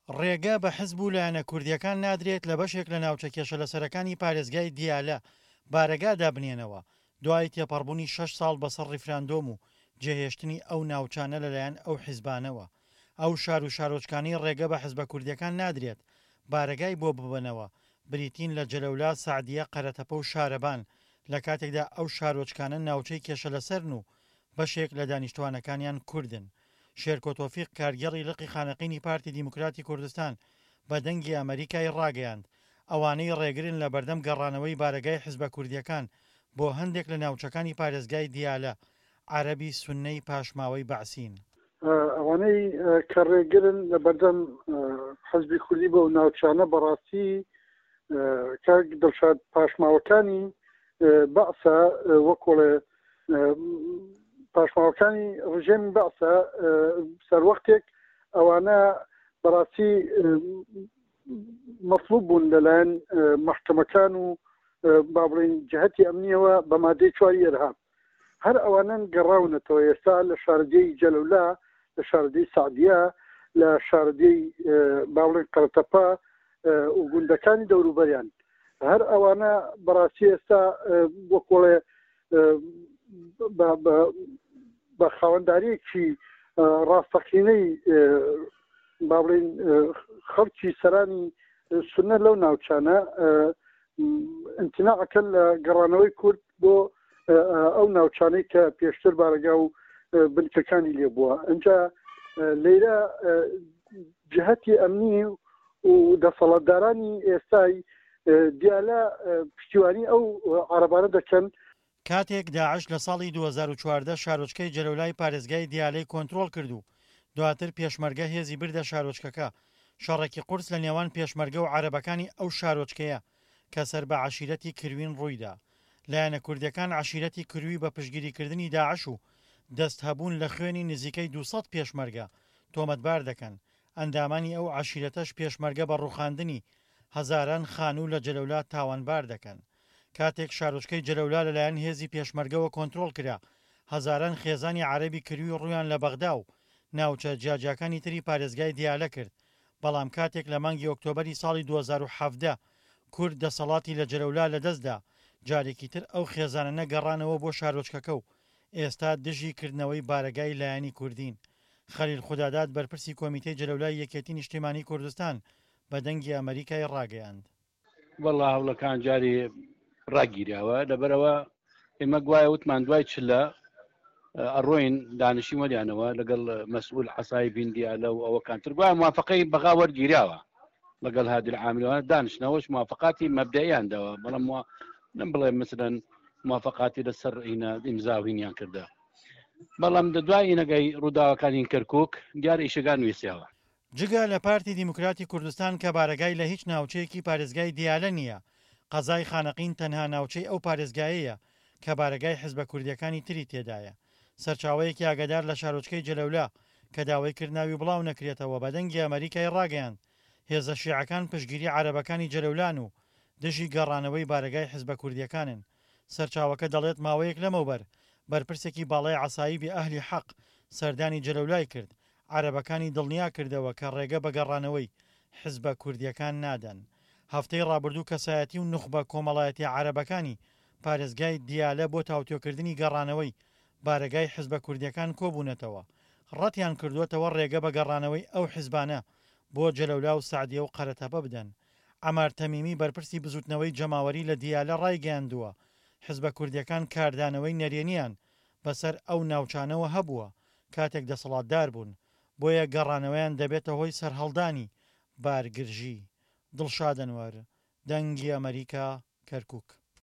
ڕێگە بە حزب و لایەنە کوردییەکان نادرێت لە بەشێک لە ناوچە کێشەلەسەرەکانی پارێزگای دیالە بارەگا دابنێنەوە، دوای تێپەڕبوونی شەش ساڵ بەسەر ڕیفراندۆم و جێهێشتنی ئەو ناوچانە لەلایەن ئەو حزبانەوە. ئەو شار و شارۆچکانەی ڕێگە بە حزبە کوردییەکان نادرێت بارەگای بۆ ببەنەوە بریتین لە جەلەولا، سەعدیە، قەرەتەپە و شارەبان، لەکاتێکدا ئەو شارۆچکانە ناوچەی کێشەلەسەرن و بەشێک لە دانیشتوانەکانیان کوردن. شێرکۆ تۆفیق کارگێڕی لقی خانەقینی پارتی دیموکراتی کوردستان بە دەنگی ئەمەریکای ڕاگەیاند، ئەوانەی ڕێگرن لە بەردەم گەڕانەوەی بارەگای حزبە کوردییەکان بۆ هەندێک لە ناوچەکانی پارێزگای دیالە، عەرەبی سوننەی پاشماوەی بەعسین. ئەوانەی کە ڕێگرن لە بەردەم حزبی کوردی بەو ناوچانە بەڕاستی کاک دڵشاد پاشماوەکانی بەعسە وەکۆڵێ پاشماوەکانی ڕژێمی بەعسە سەروەختێک ئەوانە بەڕاستی مەطلوب بوون لەلایەن مەحکەمەکان و با بڵین جهتی ئەمنیەوە بە مادەی چواری ئەرهاب هەر ئەوانەن گەڕاونەتەوە ئێستا لە شارەدێی جەلەولا لە شارەدێی سعدیە لە شارەدێی با بڵێن قەرەتەپە و گوندەکانی دەوروبەریان هەر ئەوانە بەڕاستی ئێستا وەکۆڵێ بە خاوەنداریەکی ڕاستەقینەی با بڵین خەڵکی سەرانی سنە لەو ناوچانە امتناعەکەن لە گەڕانەوەی کورد بۆ ئەو ناوچانەی کە پێشتر بارەگا و بنکەکانی لێبووە ئەجا لێرە جهتی ئەمنی و دەسەڵاتدارانی ئێستای دیالە پشتیوانی ئەو عەرەبانە دەکەن. کاتێک داعش لە ساڵی 2014 شارۆچکەی جەلەولای پارێزگای دیالەی کۆنترۆڵ کرد و دواتر پێشمەرگە هێزی بردە شارۆچکەکە، شەڕێکی قورس لە نێوان پێشمەرگە و عەرەبەکانی ئەو شارۆچکەیە کە سەر بە عەشیرەتی کروین ڕوویدا. لایەنە کوردیەکان عەشیرەتی کروی بە پشتگیریکردنی داعش و دەست هەبوون لە خوێنی نزیکەی 200 پێشمەرگە تۆمەتبار دەکەن، ئەندامانی ئەو عەشیرەتەش پێشمەرگە بە ڕووخاندنی هەزاران خانوو لە جەلەولا تاوانبار دەکەن. کاتێک شارۆچکەی جەلەولا لەلایەن هێزی پێشمەرگەوە کۆنترۆڵ کرا، هەزاران خێزانی عەرەبی کروی ڕوویان لە بەغدا و ناوچە جیاجیاکانی تری پارێزگای دیالە کرد، بەڵام کاتێک لە مانگی ئۆکتۆبەری ساڵی 2017 کورد دەسەڵاتی لە جەلەولا لەدەستدا، جارێکی تر ئەو خێزانەنە گەڕانەوە بۆ شارۆچکەکە و ئێستا دژی کردنەوەی بارەگای لایەنی کوردین. خەلیل خوداداد بەرپرسی کۆمیتەی جەلەولای یەکێتی نیشتیمانی کوردستان بە دەنگی ئەمەریکای ڕاگەیاند. وەڵا هەوڵەکان جاری ڕاگیراوە لەبەرەوە ئێمە گوایە وتمان دوای چلە ئەڕۆین دانیشین وەریانەوە لەگەڵ مەسئول عسای بیندیالە و ئەوەکانتر گوایە موافقەی بەغا وەرگیراوە لەگەڵ هادی العاملەوە دانیشتنەوەش موافقاتی مەبدەیان داوە بەڵام نم بڵێ مثلەن موافقاتی لەسەر ئینە ئیمزا و هینیان کردە بەڵام دە دوای ئینەگەی ڕووداوەکانی کەرکک دیار ئیشەکان ویسیاوە. جگە لە پارتی دیموکراتی کوردستان کە بارەگای لە هیچ ناوچەیەکی پارێزگای دیالە نییە، قەزای خانەقین تەنها ناوچەی ئەو پارێزگایەیە کە بارەگای حزبە کوردییەکانی تری تێدایە. سەرچاوەیەکی ئاگادار لە شارۆچکەی جەلەولا کە داوای کرد ناوی بڵاو نەکرێتەوە بە دەنگی ئەمەریکای ڕاگەیاند هێزە شیعەکان پشتگیری عەرەبەکانی جەلەولان و دژی گەڕانەوەی بارەگای حزبە کوردییەکانن. سەرچاوەکە دەڵێت ماوەیەک لەمەوبەر بەرپرسێکی باڵای عەسایبی ئەهلی حەق سەردانی جەلەولای کرد، عەرەبەکانی دڵنیا کردەوە کە ڕێگە بە گەڕانەوەی حزبە کوردییەکان نادەن. هەفتەی ڕابردوو کەسایەتی و نوخبە کۆمەڵایەتیە عەرەبەکانی پارێزگای دیالە بۆ تاوتوێکردنی گەڕانەوەی بارەگای حزبە کوردییەکان کۆبوونەتەوە، ڕەتیان کردووەتەوە ڕێگە بە گەڕانەوەی ئەو حزبانە بۆ جەلەولا و سەعدیە و قەرەتەپە بدەن. عەمار تەمیمی بەرپرسی بزوتنەوەی جەماوەری لە دیالە ڕایگەیاندووە، حزبە کوردییەکان کاردانەوەی نەرێنیان بەسەر ئەو ناوچانەوە هەبووە کاتێک دەسەڵاتدار بوون، بۆیە گەڕانەوەیان دەبێتە هۆی سەرهەڵدانی بارگرژی. دڵشاد ئەنوەر، دەنگی ئەمەریکا، کەرکوک.